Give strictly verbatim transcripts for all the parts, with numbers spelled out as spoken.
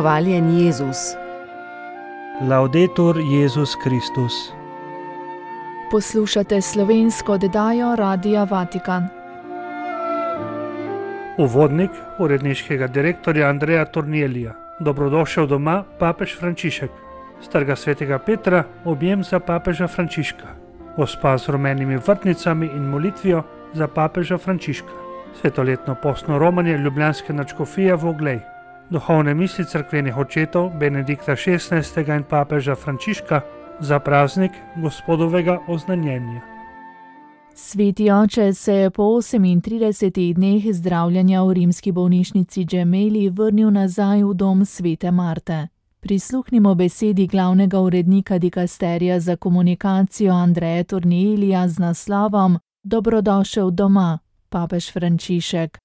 Hvaljen Jezus. Laudetur Jezus Kristus. Poslušate slovensko oddajo Radia Vatikan. Uvodnik uredniškega direktorja Andreja Tornielija. Dobrodošel doma, papež Frančišek. S Trga svetega Petra objem za papeža Frančiška. Gospa z rumenimi vrtnicami in molitvijo za papeža Frančiška. Svetoletno postno romanje ljubljanske nadškofije v Oglej. Duhovne misli cerkvenih očetov Benedikta šestnajstega in papeža Frančiška za praznik Gospodovega oznanjenja. Sveti oče se je po osemintridesetih dneh zdravljenja v rimski bolnišnici Gemelli vrnil nazaj v dom svete Marte. Prisluhnimo besedi glavnega urednika dikasterija za komunikacijo Andreja Tornielija z naslovom Dobrodošel doma, papež Frančišek.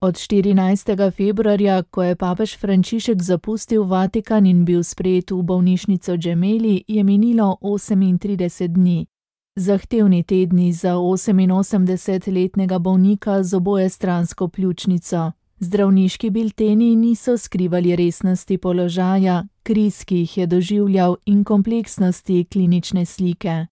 Od štirinajstega februarja, ko je papež Frančišek zapustil Vatikan in bil sprejet v bolnišnico Gemelli, je minilo osemintrideset dni. Zahtevni tedni za oseminosemdesetletnega bolnika z obojestransko pljučnico. Zdravniški bilteni niso skrivali resnosti položaja, kriz, ki jih je doživljal, in kompleksnosti klinične slike.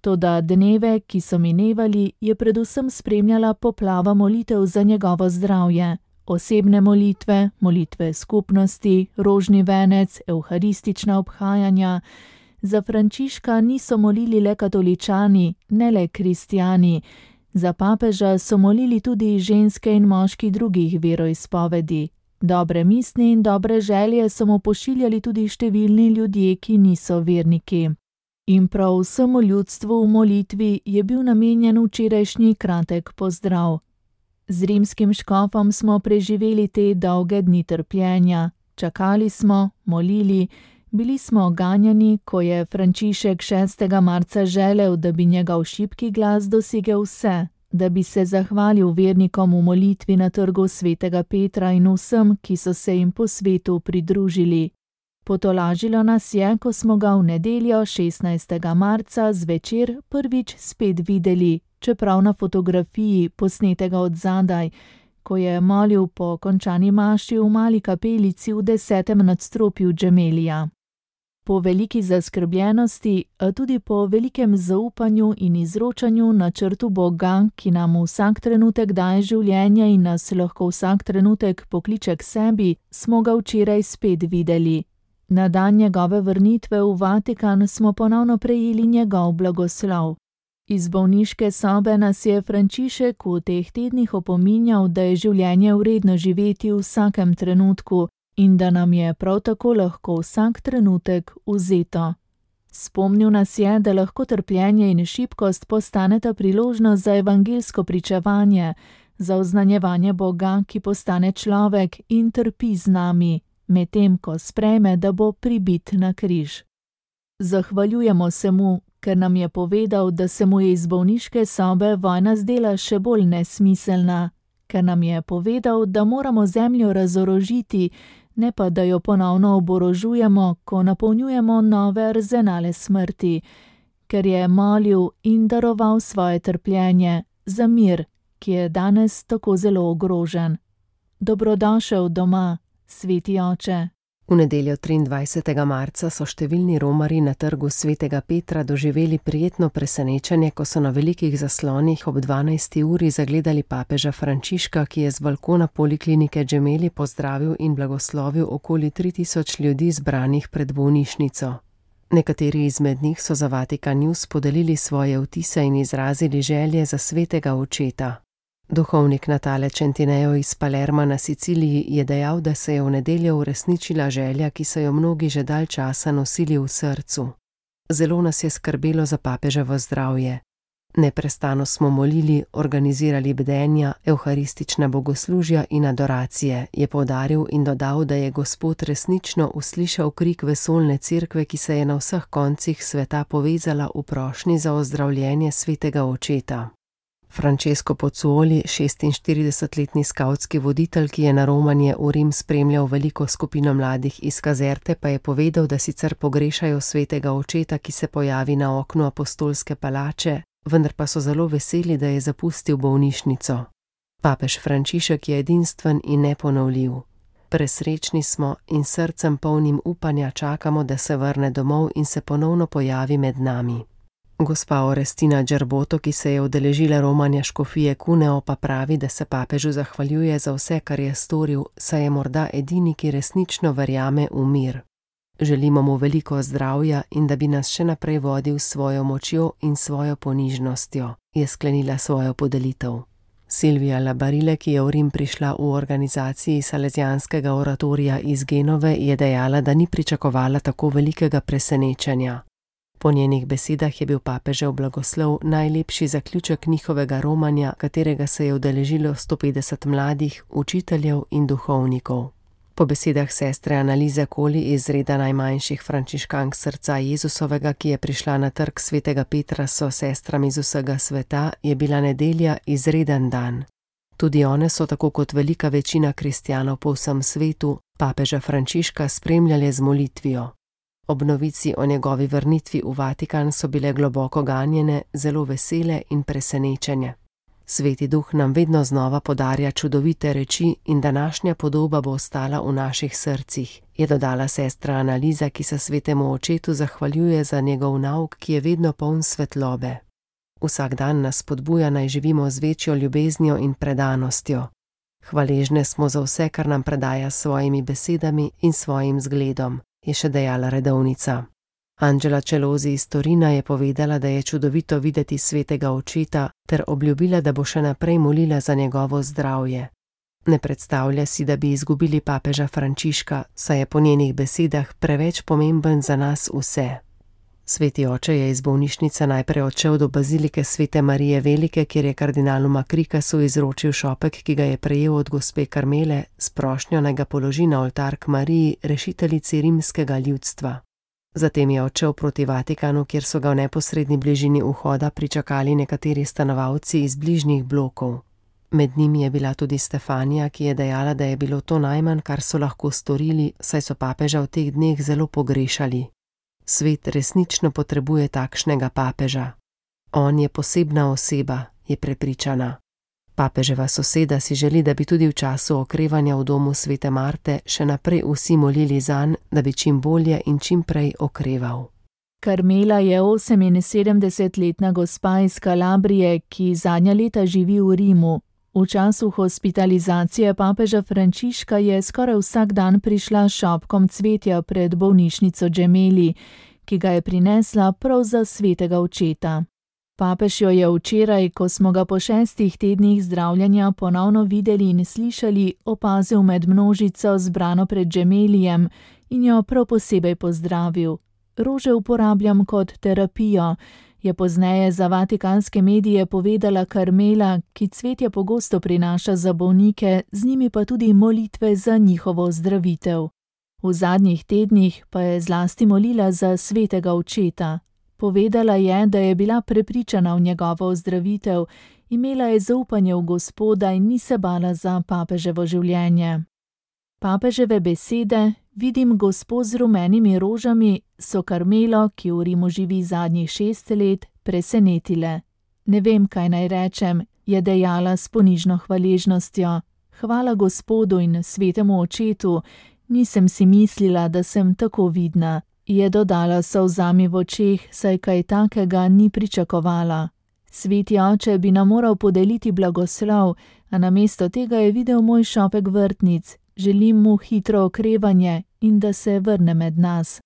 Toda dneve, ki so minevali, je predvsem spremljala poplava molitev za njegovo zdravje. Osebne molitve, molitve skupnosti, rožni venec, evharistična obhajanja. Za Frančiška niso molili le katoličani, ne le kristjani. Za papeža so molili tudi ženske in moški drugih veroizpovedi. Dobre misli in dobre želje so mu pošiljali tudi številni ljudje, ki niso verniki. In prav vsemu ljudstvu v molitvi je bil namenjen včerajšnji kratek pozdrav. Z rimskim škofom smo preživeli te dolge dni trpljenja. Čakali smo, molili, bili smo ganjani, ko je Frančišek šestega marca želel, da bi njegov šibki glas dosegel vse, da bi se zahvalil vernikom v molitvi na Trgu svetega Petra in vsem, ki so se jim po svetu pridružili. Potolažilo nas je, ko smo ga v nedeljo šestnajstega marca zvečer prvič spet videli, čeprav na fotografiji, posnetega od zadaj, ko je molil po končani maši v mali kapelici v desetem nadstropju Gemellija. Po veliki zaskrbljenosti, a tudi po velikem zaupanju in izročanju načrtu Boga, ki nam vsak trenutek daje življenje in nas lahko vsak trenutek pokliče k sebi, smo ga včeraj spet videli. Na dan njegove vrnitve v Vatikan smo ponovno prejeli njegov blagoslov. Iz bolniške sobe nas je Frančišek v teh tednih opominjal, da je življenje vredno živeti v vsakem trenutku in da nam je prav tako lahko vsak trenutek vzeto. Spomnil nas je, da lahko trpljenje in šibkost postaneta priložnost za evangeljsko pričevanje, za oznanjevanje Boga, ki postane človek in trpi z nami, medtem ko sprejme, da bo pribit na križ. Zahvaljujemo se mu, ker nam je povedal, da se mu je iz bolniške sobe vojna zdela še bolj nesmiselna, ker nam je povedal, da moramo zemljo razorožiti, ne pa da jo ponovno oborožujemo, ko napolnjujemo nove arzenale smrti, ker je molil in daroval svoje trpljenje za mir, ki je danes tako zelo ogrožen. Dobrodošel doma, sveti oče. V nedeljo triindvajsetega marca so številni romarji na Trgu svetega Petra doživeli prijetno presenečenje, ko so na velikih zaslonih ob dvanajsti uri zagledali papeža Frančiška, ki je z balkona poliklinike Gemelli pozdravil in blagoslovil okoli tri tisoč ljudi zbranih pred bolnišnico. Nekateri izmed njih so za Vatikan News podelili svoje vtise in izrazili želje za svetega očeta. Duhovnik Natale Centineo iz Palerma na Siciliji je dejal, da se je v nedeljo uresničila želja, ki so jo mnogi že dalj časa nosili v srcu. Zelo nas je skrbelo za papeževo zdravje. Neprestano smo molili, organizirali bdenja, evharistična bogoslužja in adoracije, je poudaril in dodal, da je Gospod resnično uslišal krik vesoljne cerkve, ki se je na vseh koncih sveta povezala v prošnji za ozdravljenje svetega očeta. Francesco Pozzuoli, šestinštiridesetletni skavtski voditelj, ki je na romanje v Rim spremljal veliko skupino mladih iz Kazerte, pa je povedal, da sicer pogrešajo svetega očeta, ki se pojavi na oknu apostolske palače, vendar pa so zelo veseli, da je zapustil bolnišnico. Papež Frančišek je edinstven in neponovljiv. Presrečni smo in srcem polnim upanja čakamo, da se vrne domov in se ponovno pojavi med nami. Gospa Orestina Džerboto, ki se je udeležila romanja škofije Cuneo, pa pravi, da se papežu zahvaljuje za vse, kar je storil, saj je morda edini, ki resnično verjame v mir. Želimo mu veliko zdravja in da bi nas še naprej vodil s svojo močjo in svojo ponižnostjo, je sklenila svojo podelitev. Silvija Labarile, ki je v Rim prišla v organizaciji Salesijanskega oratorija iz Genove, je dejala, da ni pričakovala tako velikega presenečenja. Po njenih besedah je bil papežev blagoslov najlepši zaključek njihovega romanja, katerega se je udeležilo sto petdeset mladih, učiteljev in duhovnikov. Po besedah sestre Analize Koli iz reda najmanjših frančiškank srca Jezusovega, ki je prišla na trg svetega Petra so sestrami iz vsega sveta, je bila nedelja izreden dan. Tudi one so, tako kot velika večina kristjanov po vsem svetu, papeža Frančiška spremljale z molitvijo. Ob novici o njegovi vrnitvi v Vatikan so bile globoko ganjene, zelo vesele in presenečenje. Sveti duh nam vedno znova podarja čudovite reči in današnja podoba bo ostala v naših srcih, je dodala sestra Analiza, ki se svetemu očetu zahvaljuje za njegov nauk, ki je vedno poln svetlobe. Vsak dan nas spodbuja, naj živimo z večjo ljubeznijo in predanostjo. Hvaležne smo za vse, kar nam predaja s svojimi besedami in svojim zgledom, je še dejala redovnica. Angela Celozi iz Torina je povedala, da je čudovito videti svetega očeta, ter obljubila, da bo še naprej molila za njegovo zdravje. Ne predstavlja si, da bi izgubili papeža Frančiška, saj je po njenih besedah preveč pomemben za nas vse. Sveti oče je iz bolnišnice najprej odšel do bazilike Svete Marije Velike, kjer je kardinalu Makrikasu izročil šopek, ki ga je prejel od gospe Karmele, s prošnjo naj ga položi na oltar k Mariji, rešiteljici rimskega ljudstva. Zatem je odšel proti Vatikanu, kjer so ga v neposredni bližini vhoda pričakali nekateri stanovalci iz bližnjih blokov. Med njimi je bila tudi Stefanija, ki je dejala, da je bilo to najmanj, kar so lahko storili, saj so papeža v teh dneh zelo pogrešali. Svet resnično potrebuje takšnega papeža. On je posebna oseba, je prepričana. Papeževa soseda si želi, da bi tudi v času okrevanja v domu svete Marte še naprej vsi molili zanj, da bi čim bolje in čim prej okreval. Karmela je oseminsedemdesetletna gospa iz Kalabrije, ki zadnja leta živi v Rimu. V času hospitalizacije papeža Frančiška je skoraj vsak dan prišla s šopkom cvetja pred bolnišnico Gemelli, ki ga je prinesla prav za svetega očeta. Papež jo je včeraj, ko smo ga po šestih tednih zdravljenja ponovno videli in slišali, opazil med množico zbrano pred Gemellijem in jo prav posebej pozdravil. Rože uporabljam kot terapijo, je pozneje za vatikanske medije povedala Karmela, ki cvetje pogosto prinaša za bolnike, z njimi pa tudi molitve za njihovo zdravitev. V zadnjih tednih pa je zlasti molila za svetega očeta. Povedala je, da je bila prepričana v njegovo ozdravitev, imela je zaupanje v Gospoda in ni se bala za papeževo življenje. Papeževe besede, vidim Gospo z rumenimi rožami, so Karmelo, ki v Rimu živi zadnjih šest let, presenetile. Ne vem, kaj naj rečem, je dejala s ponižno hvaležnostjo. Hvala Gospodu in svetemu očetu, nisem si mislila, da sem tako vidna. Je dodala s solzami v očeh, saj kaj takega ni pričakovala. Sveti oče bi nam moral podeliti blagoslov, a namesto tega je videl moj šopek vrtnic. Želim mu hitro okrevanje in da se vrne med nas.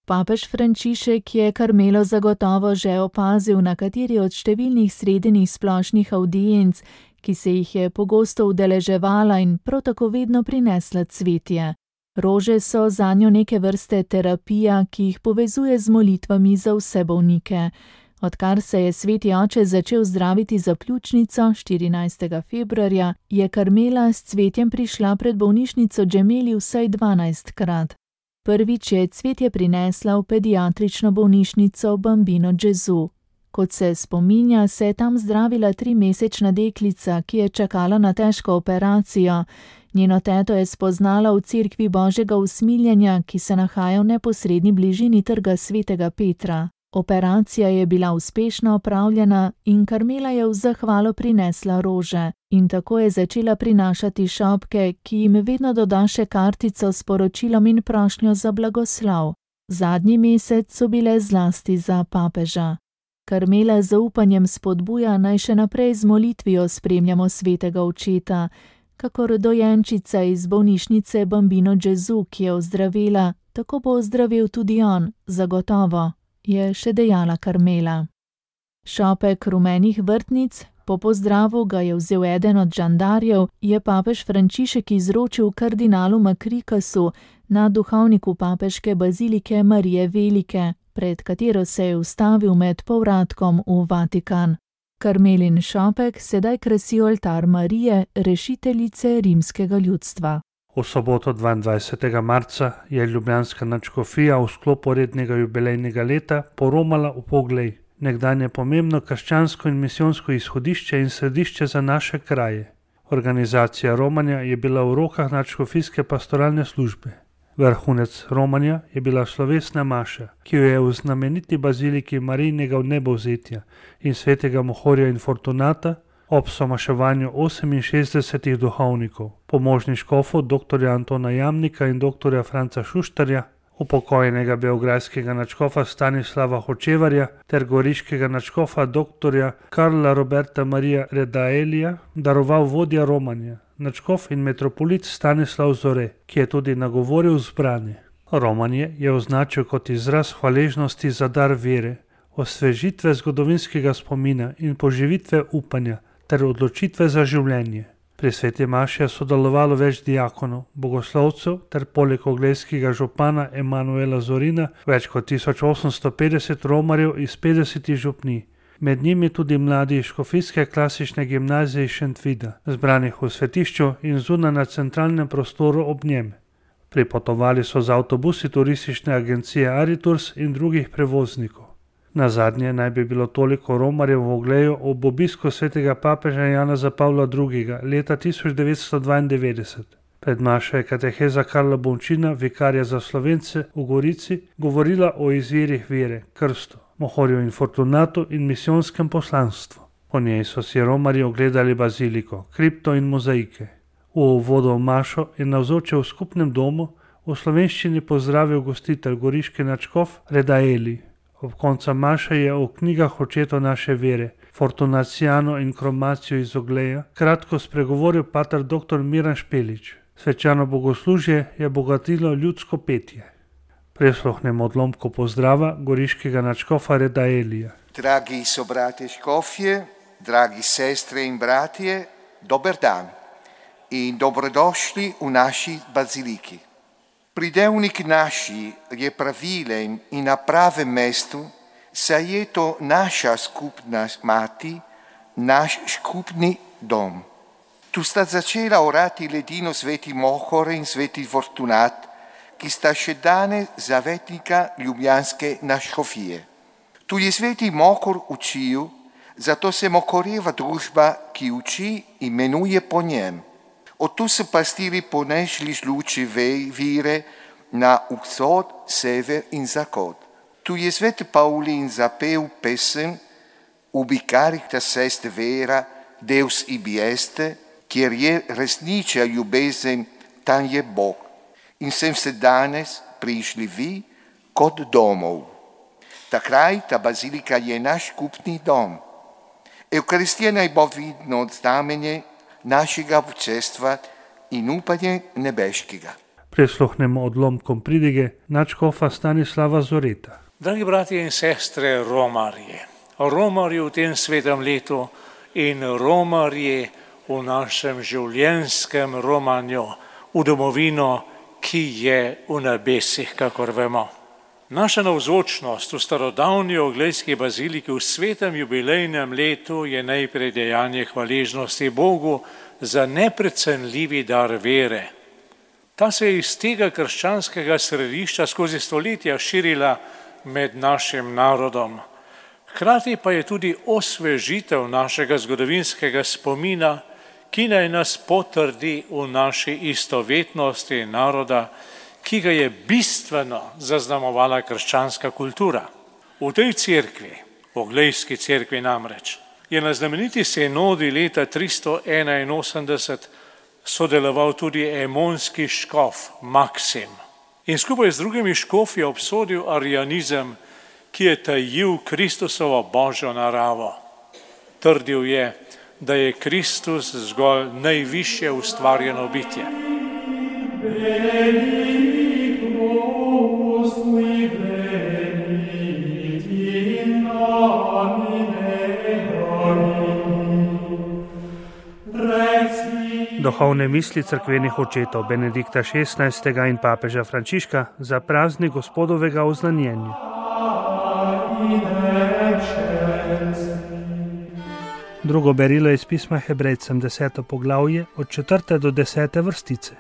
Papež Frančišek je Karmelo zagotovo že opazil na kateri od številnih sredenih splošnih avdienc, ki se jih je pogosto udeleževala in prav tako vedno prinesla cvetje. Rože so zanjo neke vrste terapija, ki jih povezuje z molitvami za vse bolnike. Odkar se je sveti oče začel zdraviti za pljučnico štirinajstega februarja, je Karmela s cvetjem prišla pred bolnišnico Gemelli vsaj dvanajstkrat. Prvič je cvetje prinesla v pediatrično bolnišnico Bambino Gesù. Kot se spominja, se je tam zdravila trimesečna deklica, ki je čakala na težko operacijo. Njeno teto je spoznala v cerkvi Božjega usmiljenja, ki se nahaja v neposredni bližini trga svetega Petra. Operacija je bila uspešno opravljena in Karmela je v zahvalo prinesla rože in tako je začela prinašati šopke, ki jim vedno doda še kartico s poročilom in prošnjo za blagoslov. Zadnji mesec so bile zlasti za papeža. Karmela z zaupanjem spodbuja, naj še naprej z molitvijo spremljamo svetega očeta, kakor dojenčica iz bolnišnice Bambino Gesù, ki je ozdravela, tako bo ozdravel tudi on, zagotovo, je še dejala Karmela. Šopek rumenih vrtnic, po pozdravu ga je vzel eden od žandarjev, je papež Frančišek izročil kardinalu Makrikasu, nadduhovniku papeške bazilike Marije Velike, pred katero se je ustavil med povratkom v Vatikan. Karmelin šopek sedaj krasi oltar Marije, rešiteljice rimskega ljudstva. V soboto dvaindvajsetega marca je ljubljanska nadškofija v sklopu rednega jubilejnega leta poromala v Poglej, nekdanje pomembno krščansko in misijonsko izhodišče in središče za naše kraje. Organizacija romanja je bila v rokah nadškofijske pastoralne službe. Vrhunec romanja je bila slovesna maša, ki jo je v znameniti baziliki Marijinega vnebovzetja in svetega Mohorja in Fortunata ob somaševanju oseminšestdesetih duhovnikov, pomožni škofov doktorja Antona Jamnika in doktorja Franca Šuštarja, upokojenega beograjskega nadškofa Stanislava Hočevarja ter goriškega nadškofa doktorja Karla Roberta Marija Redaelija, daroval vodja romanja, nadškof in metropolit Stanislav Zore, ki je tudi nagovoril zbrane. Romanje je označil kot izraz hvaležnosti za dar vere, osvežitve zgodovinskega spomina in poživitve upanja ter odločitve za življenje. Pri sveti maši je sodelovalo več diakonov, bogoslovcev ter poleg oglejskega župana Emanuela Zorina več kot tisoč osemsto petdeset romarjev iz petdesetih župnij. Med njimi tudi mladi iz škofijske klasične gimnazije iz Šentvida, zbranih v svetišču in zunaj na centralnem prostoru ob njem. Pripotovali so z avtobusi turistične agencije Ariturs in drugih prevoznikov. Nazadnje naj bi bilo toliko romarjev v Ogleju ob obisku svetega papeža Janeza Pavla drugega leta tisoč devetsto dvaindevetdeset. Pred mašo je kateheza Karla Bončina, vikarja za Slovence v Gorici, govorila o izvirih vere, krstu, Mohorju in Fortunatu in misijonskem poslanstvu. Po njej so si romarji ogledali baziliko, kripto in mozaike. V uvodu v mašo je navzočil v skupnem domu v slovenščini pozdravil gostitelj goriški nadškof Redaeli. Ob koncu maše je o knjigah očetov naše vere, Fortunaciano in Kromacijo iz Ogleja, kratko spregovoril pater dr. Miran Špelič. Svečano bogoslužje je bogatilo ljudsko petje. Prisluhnemo odlomku pozdrava goriškega nadškofa Redaelija. Dragi sobrate škofje, dragi sestre in bratje, dober dan in dobrodošli v naši baziliki. Pridevnik naši je pravilen in na pravem mestu, saj je to naša skupna mati, naš skupni dom. Tu sta začela orati ledino sveti Mohor in sveti Fortunat, ki sta še danes zavetnika ljubljanske nadškofije. Tu je sveti Mohor učil, zato se Mohorjeva družba, ki uči, imenuje po njem. Od tu so pastiri ponesli luči vire na vzhod, sever in zahod. Tu je svet Pavlin zapel pesem Ubi caritas est vera, Deus ibi este, kjer je resnična ljubezen, tam je Bog. In sem se danes prišli vi kot domov. Ta kraj, ta bazilika je naš skupni dom. Evkaristija naj bo vidno znamenje našega občestva in upanje nebeškega. Prisluhnemo odlomkom pridige nadškofa Stanislava Zoreta. Dragi bratje in sestre romarje, romarji v tem svetem letu in romarji v našem življenjskem romanju v domovino, ki je v nebesih, kakor vemo. Naša navzočnost v starodavni oglejski baziliki v svetem jubilejnem letu je najprej dejanje hvaležnosti Bogu za neprecenljivi dar vere. Ta se je iz tega krščanskega središča skozi stoletja širila med našim narodom. Hkrati pa je tudi osvežitev našega zgodovinskega spomina, ki naj nas potrdi v naši istovetnosti naroda, ki ga je bistveno zaznamovala krščanska kultura. V tej cerkvi, Oglejski cerkvi namreč, je na znameniti sinodi leta tristo enainosemdeset sodeloval tudi emonski škof Maksim in skupaj z drugimi škofi obsodil arianizem, ki je tajil Kristusovo božjo naravo. Trdil je, da je Kristus zgolj najvišje ustvarjeno bitje. Duhovne misli cerkvenih očetov Benedikta šestnajstega in papeža Frančiška za praznik Gospodovega oznanjenja. Drugo berilo iz pisma Hebrejcem, deseto poglavje, od četrte do desete vrstice.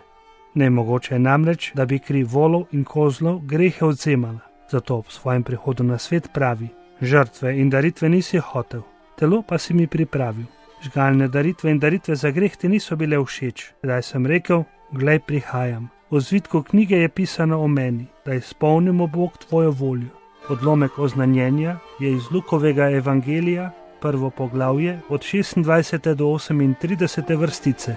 Nemogoče je namreč, da bi kri volov in kozlov grehe odvzemala. Zato ob svojem prihodu na svet pravi: žrtve in daritve nisi hotel, telo pa si mi pripravil. Žgalne daritve in daritve za greh ti niso bile všeč. Zdaj sem rekel: glej, prihajam. V zvitku knjige je pisano o meni, da izpolnimo Bog tvojo voljo. Odlomek oznanjenja je iz Lukovega evangelija, prvo poglavje, od šestindvajsete do osemintridesete vrstice.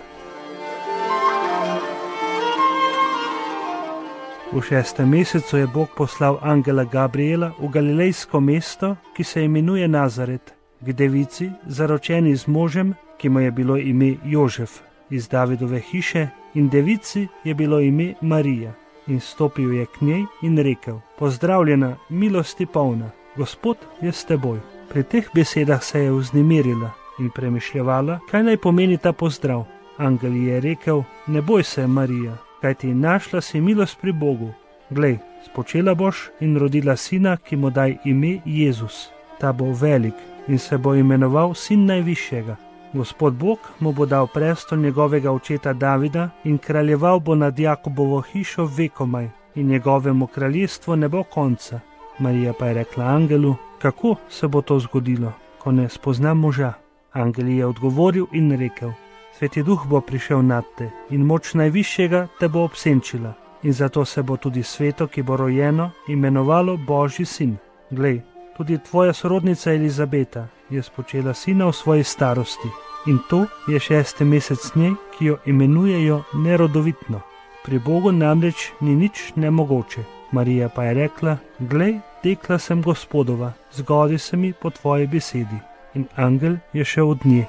V šestem mesecu je Bog poslal angela Gabriela v galilejsko mesto, ki se imenuje Nazaret, k devici, zaročeni z možem, ki mu je bilo ime Jožef, iz Davidove hiše, in devici je bilo ime Marija. In stopil je k njej in rekel: pozdravljena, milosti polna, Gospod je s teboj. Pri teh besedah se je vznemirila in premišljevala, kaj naj pomeni ta pozdrav. Angel ji je rekel: ne boj se, Marija, kajti našla si milost pri Bogu. Glej, spočela boš in rodila sina, ki mu daj ime Jezus. Ta bo velik in se bo imenoval Sin najvišjega. Gospod Bog mu bo dal prestol njegovega očeta Davida in kraljeval bo nad Jakobovo hišo vekomaj in njegovemu kraljestvu ne bo konca. Marija pa je rekla angelu: kako se bo to zgodilo, ko ne spoznam moža? Angel je odgovoril in rekel: Sveti Duh bo prišel nad te in moč najvišjega te bo obsenčila in zato se bo tudi sveto, ki bo rojeno, imenovalo Božji sin. Glej, tudi tvoja sorodnica Elizabeta je spočela sina v svoji starosti in to je šesti mesec njej, ki jo imenujejo nerodovitno. Pri Bogu namreč ni nič nemogoče. Marija pa je rekla: glej, dekla sem Gospodova, zgodi se mi po tvoji besedi. In angel je šel od nje.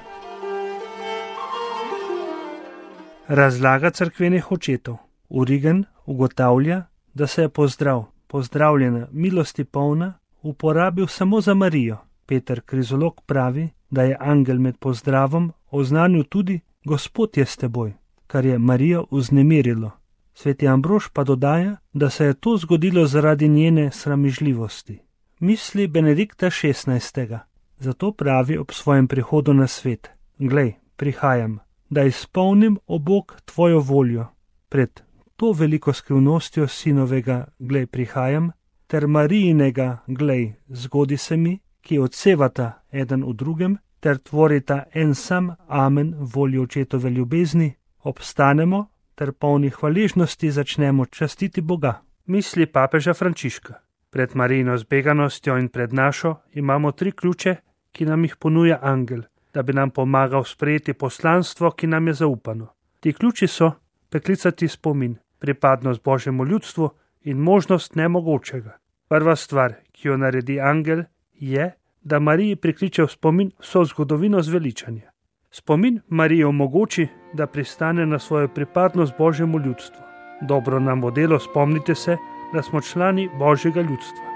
Razlaga cerkvenih očetov. Origen ugotavlja, da se je pozdrav, pozdravljena, milosti polna, uporabil samo za Marijo. Peter Krizolog pravi, da je angel med pozdravom oznanil tudi: Gospod je s teboj, kar je Marijo vznemirilo. Sveti Ambrož pa dodaja, da se je to zgodilo zaradi njene sramižljivosti. Misli Benedikta šestnajstega. Zato pravi ob svojem prihodu na svet: glej, prihajam, da izpolnim, o Bog, tvojo voljo. Pred to veliko skrivnostjo sinovega glej, prihajam, ter Marijinega glej, zgodi se mi, ki odsevata eden v drugem, ter tvorita en sam amen voljo očetove ljubezni, obstanemo ter polni hvaležnosti začnemo častiti Boga. Misli papeža Frančiška. Pred Marijino zbeganostjo in pred našo imamo tri ključe, ki nam jih ponuja angel, da bi nam pomagal sprejeti poslanstvo, ki nam je zaupano. Ti ključi so preklicati spomin, pripadnost Božjemu ljudstvu in možnost nemogočega. Prva stvar, ki jo naredi angel, je, da Mariji prikliče v spomin vso zgodovino zveličanja. Spomin Mariji omogoči, da pristane na svojo pripadnost Božjemu ljudstvu. Dobro nam bo delo spomnite se, da smo člani Božjega ljudstva.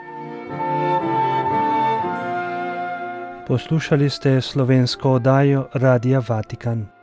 Poslušali ste slovensko oddajo Radia Vatikan.